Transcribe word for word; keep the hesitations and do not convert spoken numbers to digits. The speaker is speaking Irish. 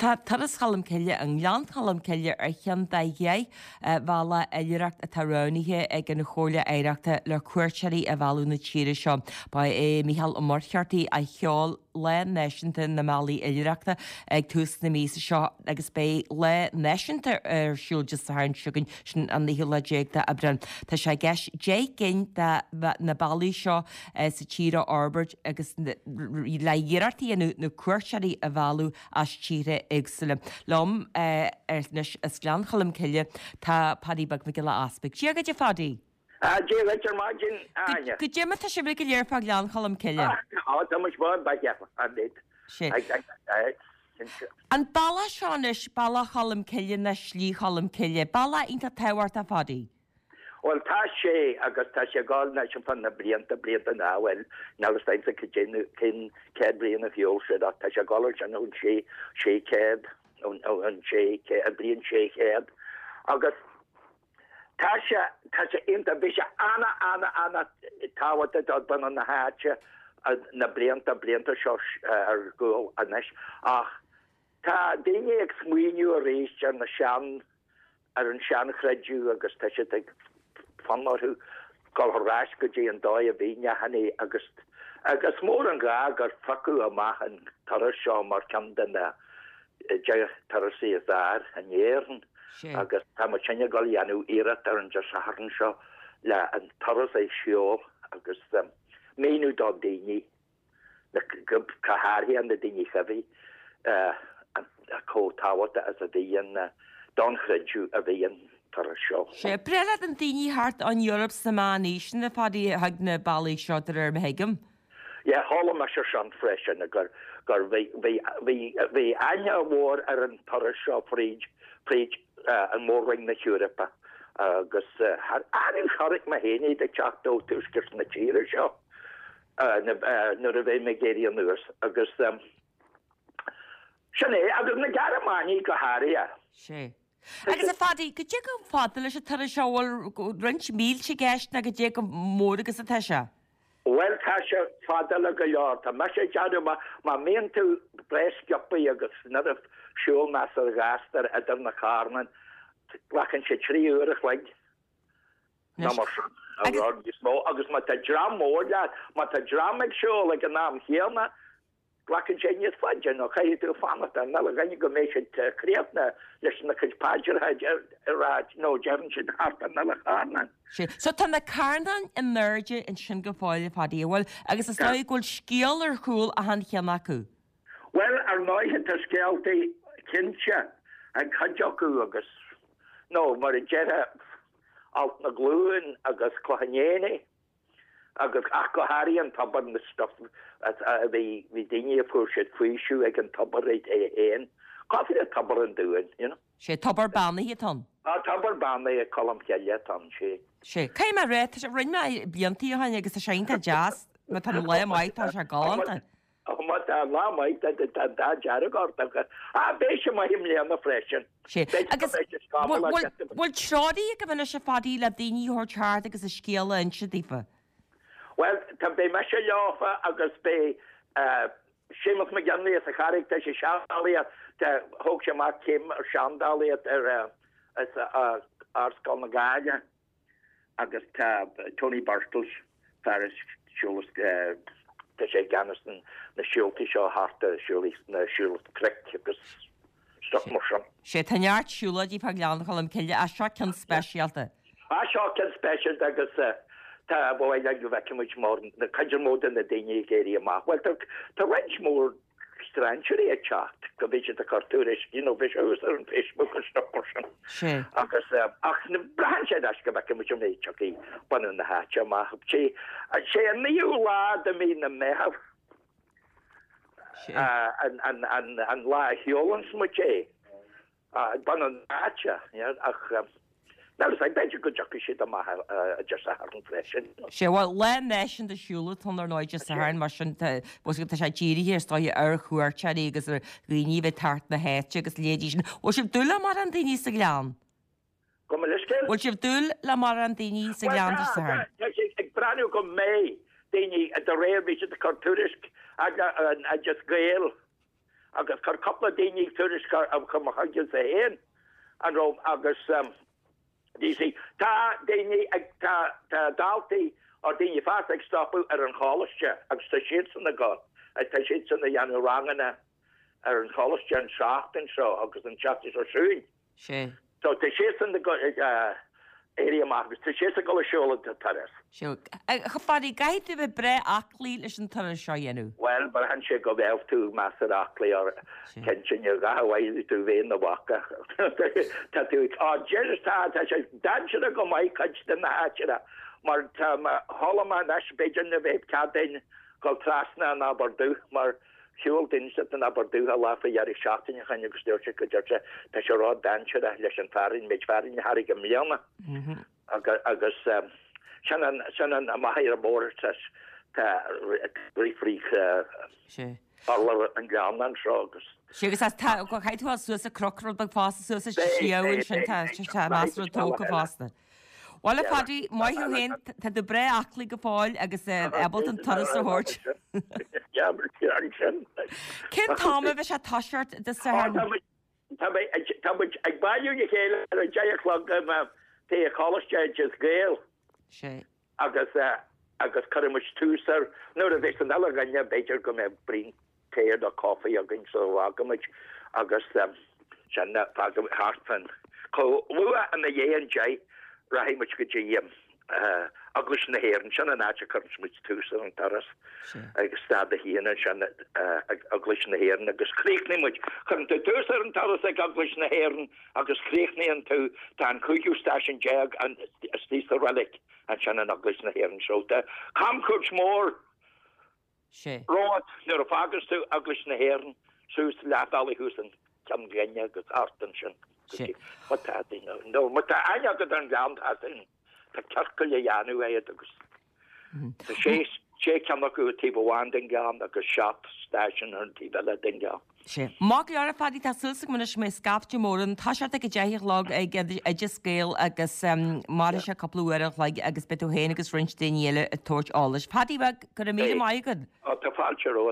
Tá Turas Cholm Cille i nGleann Cholm Cille ar cheann de dheich bhealach oilithreachta atá roghnaithe ag an Chomhairle Oidhreachta le cuairteoirí a mhealladh na tíre seo. Ba é Mícheál Ó Muircheartaigh a sheol Lá Náisiúnta na mBealaí Oilithreachta ag tús na míosa seo agus beidh lá náisiúnta ar siúl Dé Sathairn seo chugainn, sin an naoú lá déag d'Aibreán. Tá sé i gceist deich gcinn de na bealaí seo sa tír a fhorbairt agus le hiarracht a dhéanamh na cuairteoirí a mhealladh as tíortha éagsúla. Liom anois as Gleann Cholm Cille tá Paddy Beag Mac Giolla Easpaig. Dia dhuit a Phadaí! Dia dhuit ar maidin, a Áine. Goidé mar tá sibh go léir fá Ghleann Cholm Cille? Á, tá muid maith, ba cheap, an méid. Sé. An bealach seo anois, Bealach Cholm Cille nó Slí Cholm Cille, bealach iontach tábhachtach, a Phadaí. Bhuel, tá sé, agus tá sé ag dul anois ar feadh na blianta, blianta ná, bhuel, níl fhios a'msa cad é nó cén céad bliain a shiúil siad ach tá sé ag dul ansin ón sé, sé chéad, ón, ón sé chéad, an bhliain sé chéad. Agus tá sé, tá sé iontach, bhí sé ana, ana, ana tábhachtach do bunadh na háite na blianta, blianta seo ar gcúl anois ach tá daoine ag smaoineamh arís ar na sean, ar an seanchreideamh agus tá siad ag fonn orthu dul ar ais go dtí an dóigh a bhí neachannaí agus agus is mór an gá gur phiocadh amach an turas seo mar cheann de na deich turasaí is fhearr in Éirinn agus tá muid ag dul a dhéanamh iarracht ar an Dé Sathairn seo le an turas a shiúl agus míniú do daoine go háirithe na daoine teibí, chomh tábhachtach is a bhí an don chreideamh a bhí an turas seo. Sea, breá le na daoine thart ón Eoraip sna meánaoiseanna fad a thug na bealaí seo de réir mar a thuigim. Yeah, chuala mise sin freisin gur gur bhí bhí bhí bhí aithne mhór ar an turas seo fríd fríd an mór-roinn na hEorpa agus thar chonaic mé féin iad ag teacht ó tuaisceart na tíre seo. nuair a bhí mé ag éirí anuas agus sin é, agus na Gearmánaigh go háirithe. Sea. Agus a Phadaí, goidé chomh fada leis an turas seo, bhfuil roinnt mílte i gceist nó goidé chomh mór agus atá sé? Bhuel, tá sé fada le go leor. Tá mise ag déanamh, má mbíonn tú breá sciobtha agus nuair a siúl measartha gasta idir na carnáin, glacann sé trí uair a chloig. Nó mar sin, a rud níos mó. Agus má tá dream mór leat, má tá dream ag siúl ag an am chéanna, glacann sé níos faide, nó caithfidh tú fanacht ar an uile dhuine go mbeidh siad críochnaithe leis na cuid paidreacha a rá, nó deireann siad thart ar an uile charnán. Sea. So tá na carnáin in airde ansin go fóill, a Phadaí, an bhfuil? Agus is dóigh go bhfuil scéal ar chúl achan cheann acu. Bhuel, ar ndóighe, tá scéaltaí cinnte ag cuid acu agus, nó mar a déarfá, Alt na Glún agus Cloch an Éanaigh agus ach go háirithe an tobar na stuff a bhí bhí daoine a fuair siad faoiseamh ag an tobar é féin. Cosúil le Tobar an Dúin, you know. Sé tobar beannaithe atá ann. Á, tobar beannaithe Colm Cille atá ann, sé. Sé. Caithfidh mé a rá, tá sé, rinne mé blianta ó shin agus tá sé iontach deas, má tá an lá maith tá sé galánta. Má tá lá maith tá an t-ádh dearg ort agus á beidh sé maith i mbliana freisin. Sé. Agus bhfuil treoraí agaibh anois a Phadaí le daoine a thabhairt thart agus a scéal a inse daofa? Bhuel, tá, beidh mise leofa agus beidh Séamus McGinley as an Charraig, tá sé seandálaíocht, tá, thóg sé amach céim ar seandálaíocht ar as Ardscoil na Gaillimhe. Agus tá Tony Birtles, fear a siúlas, tá sé i gceannas na siúltaí seo thart ar siúlaí na siúl cnoic agus stuff mar sin. Sé, tá neart siúlóidí fá Ghleann Cholm Cille, ach seo ceann speisialta. Ah, seo ceann speisialta agus tá, ba mhaith linn go bhfeicfidh muid mór, cuid mhór de na daoine ag éirí amach. Bhuel, tá, tá roinnt mhór strainséirí ag teacht, go bhí siad ag cur tuairisc, you know, bhí sé thuas ar an Facebook agus stuff mar sin. Sé. Agus, ach braitheann sé anois go bhfeicfidh muid an méid tiocfaidh bunadh na háite amach. Sé, sé an naoú lá de mhí na Meitheamh an, an, an, an lá a shiúlanns muid é. Bunadh na háite, ach níl fhios a'm, b'fhéidir go dtiocfaidh siad amach Dé Sathairn freisin. Sé, bhuel, lá náisiúnta siúil atá ann ar ndóigh Dé Sathairn, mar sin tá, tá sé dírithe is dóigh ar chuairteoirí agus ar dhaoine a bheith thart na háite agus leithéidí sin. Bhfuil sibh ag dúil le mórán daoine sa Ghleann? Gabh mo leithscéal? Bhfuil sibh ag dúil le mórán daoine sa Ghleann Dé Sathairn? Bhuel, tá, tá sé ag breathnú go mbeidh daoine, de réir, bhí siad ag cur tuairisc ag an Oideas Gael, agus chuir cúpla daoine tuairisc chun mo chuidse féin an raibh agus you see tá daoine ag tá tá daltaí or daoine fásta ag stopadh ar an choláiste agus tá siadsan ag dul tá siadsan ag déanamh ranganna ar an choláiste an seachtain seo agus an tseachtain seo chugainn. Sé. So tá siadsan ag éirí amach agus tá siadsan ag dul ag siúl an turas. Sé. A Phadaí, caithfidh tú bheith breá aclaí leis an turas seo a dhéanamh. Bhuel, braitheann sé go mbeadh tú measartha aclaí or cinnte ní gá bhfaighidh tú bheith ina bhaca. Tá tú á deir tá tá sé dainséarach go maith cuid de na háiteanna mar tá chuala mé anois b'fhéidir ní bheidh cead duinn dul trasna an Abar Dubh mar shiúil duine den Abar Dubh a lá faoi dheireadh seachtaine ó shin agus dúirt sé go deir sé tá sé ró-dainséarach leis an fearthainn méid fearthainn a tháinig i mbliana agus sin an sin an amach ar an mbóthar tá tá rith frí urlár an ghleanna anseo agus Sé agus as tá caithfidh tú suas an cnoc rud beag fosta suas an sliabh ansin tá tá measartha tógtha fosta. Bhuel a Phadaí, maith thú féin, tá tú breá aclaí go fóill agus ábalta an turas a thabhairt. Cén t-am a bheidh sé ag toiseacht Dé Sathairn? Tá muid ag bailiú le chéile ar a deich a chlog taobh Choláiste Oideas Gael. Sé. Agus agus cuirfidh muid tús air nuair a bheas an uile dhuine, b'fhéidir go mbeidh braon tae nó coffee againn sula bhfágaimid agus sin fágaimid thart fán chomh luath ina dhiaidh an deich rachaidh muid go dtí Eaglais na hÉireann, sin an áit a chuireanns muid tús ar an turas ag stad a haon ansin ag Eaglais na hÉireann agus críochnaíonn muid, cuireann tú tús ar an turas ag Eaglais na hÉireann agus críochnaíonn tú, tá an cúigiú stáisiún déag istigh sa reilig ansin in Eaglais na hÉireann so tá camchuairt mhór romhat nuair a fhágas tú Eaglais na hÉireann suas leath bealaigh thuas an Ceann Glinne agus thart ansin go dtí má tá daoine nó má tá aithne agat ar an ghleann tá sin tá ciorcal a dhéanamh agat agus tá sé sé ceann acu ar taobh amháin den ghleann agus seacht stáisiún ar an taobh eile den ghleann. Sé. Maith go leor a Phadaí, tá súil agam anois go mbeidh scaifte mór ann. Toiseacht ag a deich a chlog ag Oideas Gael agus mairfidh sé cúpla uair an chloig agus beidh tú féin agus roinnt daoine eile ag tabhairt eolais. Padaí bheag, go raibh míle maith agat. Ó, tá fáilte romhat.